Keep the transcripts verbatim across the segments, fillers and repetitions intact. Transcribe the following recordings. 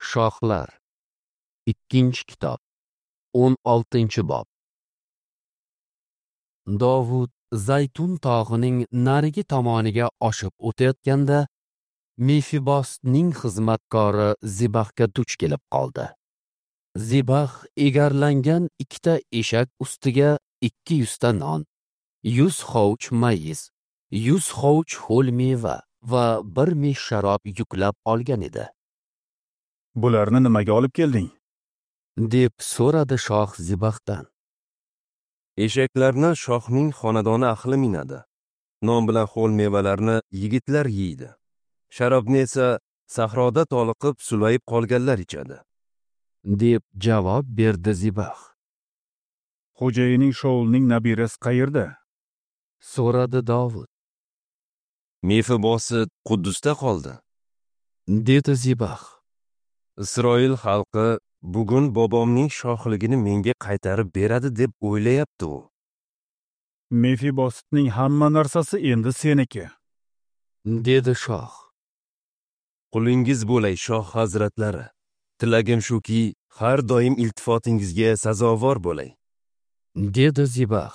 Shohlar. Ikkinchi kitob. o'n oltinchi bob. Dovud Zaytun tog'ining narigi tomoniga oshib o'tayotganda Mefibosning xizmatkori Zibaxga duch kelib qoldi. Zibax egarlangan ikkita eshak ustiga ikki yuzta non, yuz hovuch mayiz, yuz hovuch ho'l meva va bir mish sharob yuklab olgan edi. Bularni nimaga olib kelding? Deb so'radi shoh Zibaxdan. Eshaklarni shohning xonadoni ahli minadi. Non bilan ho'l mevalarni yigitlar yeydi. Sharobni esa sahroda toliqib sulayib qolganlar ichadi, deb javob berdi Zibax. Xo'jayining Shaulning nabirasi qayerda? So'radi Dovud. Mefibosit Quddusda qoldi, dedi Zibax. Isroil xalqi bugun bobomning shohligini menga qaytarib beradi deb o'ylayapti u. Mefibositning hamma narsasi endi seniki, dedi shoh. Qulingiz bo'lay shoh hazratlari. Tilagim shuki, har doim iltifotingizga sazovor bo'lay, dedi Zibax.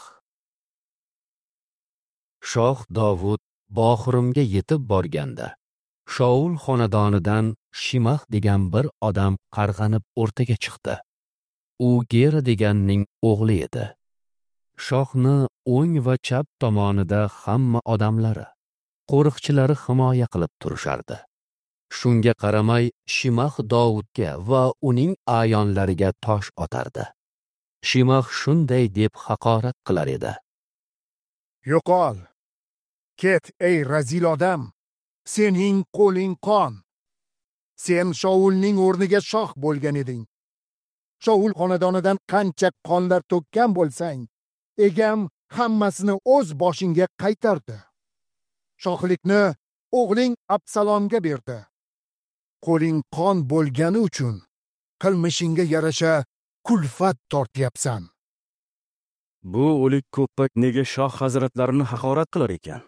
Shoh Dovud Boxurimga yetib borganda, Shaul xonadonidan Shimax degan bir odam qarg'anib o'rtaga chiqdi. U Gera deganning o'g'li edi. Shohni o'ng va chap tomonida hamma odamlari, qo'riqchilari himoya qilib turishardi. Shunga qaramay Shimax Dovudga va uning a'yonlariga tosh otardi. Shimax shunday deb haqorat qilar edi: Yo'qol! Ket ey razil odam! Sening qo'ling qon! Sen Shaulning o'rniga shoh bo'lgan eding. Shaul xonadonidan qancha qonlar to'kkan bo'lsang, egam hammasini o'z boshingga qaytardi. Shohlikni o'g'ling Absalomga berdi. Qo'ling qon bo'lgani uchun qilmishingga yarasha kulfat tortyapsan. Bu o'lik ko'ppak nega shoh hazratlarini haqorat qilar ekan?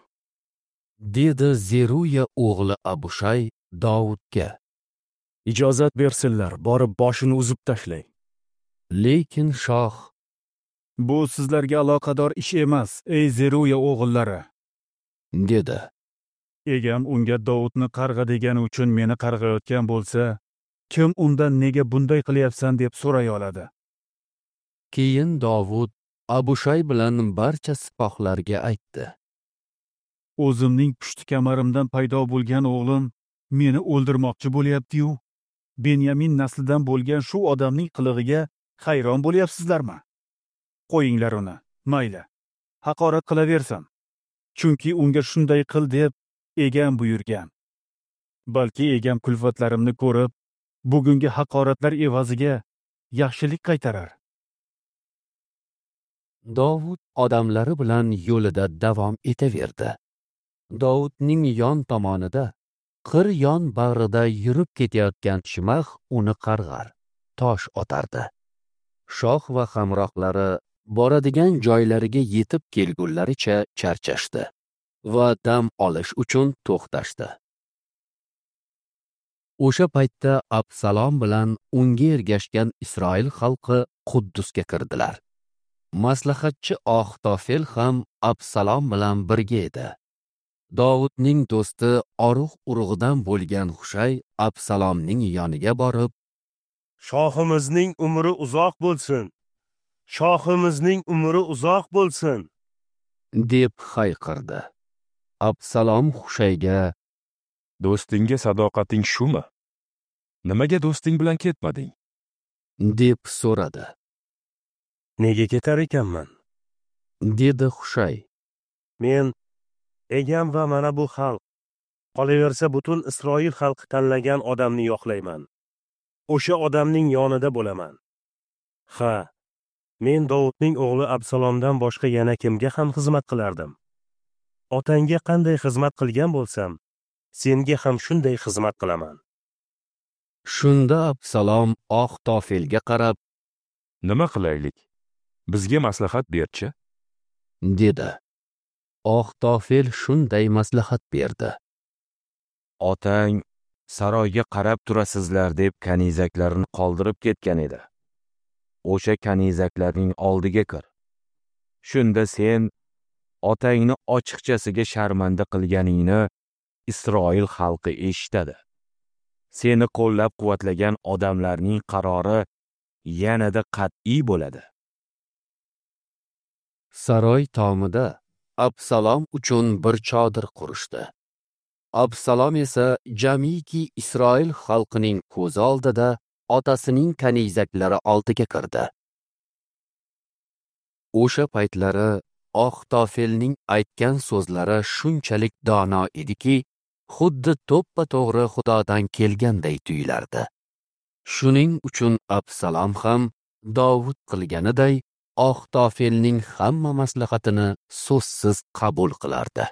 Dedi Zeruya o'g'li Abushay Dovudga. Ijozat bersinlar, borib boshini uzib tashlay. Lekin shoh: Bu sizlarga aloqador ish emas, ey Zeruya o'g'illari, dedi. Egam unga Dovudni qarg'a degani uchun meni qarg'ayotgan bo'lsa, kim undan nega bunday qilyapsan deb so'ray oladi? Keyin Dovud Abushay bilan barcha sipohlarga aytdi: O'zimning pushti kamarimdan paydo bo'lgan o'g'lim meni o'ldirmoqchi bo'lyapti-yu, Benyamin naslidan bo'lgan shu odamning qilig'iga hayron bo'lyapsizlarmi? Qo'yinglar uni, mayli, haqorat qilaversin. Chunki unga shunday qil deb egam buyurgan. Balki egam kulfatlarimni ko'rib, bugungi haqoratlar evaziga yaxshilik qaytarar. Dovud odamlari bilan yo'lida davom etaverdi. Dovudning yon tomonida, qir yon bag'rida yurib ketayotgan Shimax uni qarg'ar, tosh otardi. Shoh va hamrohlari boradigan joylariga yetib kelgunlaricha charchashdi va dam olish uchun to'xtashdi. O'sha paytda Absalom bilan unga ergashgan Isroil xalqi Quddusga kirdilar. Maslahatchi Axtofel ham Absalom bilan birga edi. Dovudning do'sti Oruh urug'idan bo'lgan Hushay Absalomning yoniga borib, Shohimizning umri uzoq bo'lsin! Shohimizning umri uzoq bo'lsin! deb hayqirdi. Absalom Hushayga: Do'stingga sadoqating shumi? Nimaga do'sting bilan ketmading? deb so'radi. Nega ketar ekanman? Dedi Hushay. Men, egam va mana bu xalq, qolaversa butun Isroil xalqi tanlagan odamni yoqlayman. O'sha odamning yonida bo'laman. Ha, men Dovudning o'g'li Absalomdan boshqa yana kimga ham xizmat qilardim? Otangga qanday xizmat qilgan bo'lsam, senga ham shunday xizmat qilaman. Shunda Absalom Axtofelga qarab, Nima qilaylik? Bizga maslahat berchi, dedi. Axtofel shunday maslahat berdi: Otang Saroyga qarab turasizlar deb kanizaklarini qoldirib ketgan edi. O'sha kanizaklarning oldiga kir. Shunda sen otangni ochiqchasiga sharmanda qilganingni Isroil xalqi eshitadi. Seni qo'llab-quvvatlagan odamlarning qarori yanada qat'iy bo'ladi. Saroy tomida Absalom uchun bir chodir qurishdi. Absalom esa jamiki Isroil xalqining ko'zi oldida otasining kanizaklari oldiga kirdi. O'sha paytlari Axitofelning aytgan so'zlari shunchalik dono ediki, xuddi to'ppa-to'g'ri Xudodan kelganday tuyulardi. Shuning uchun Absalom ham Dovud qilganiday Axitofelning hamma maslahatini so'zsiz qabul qilardi.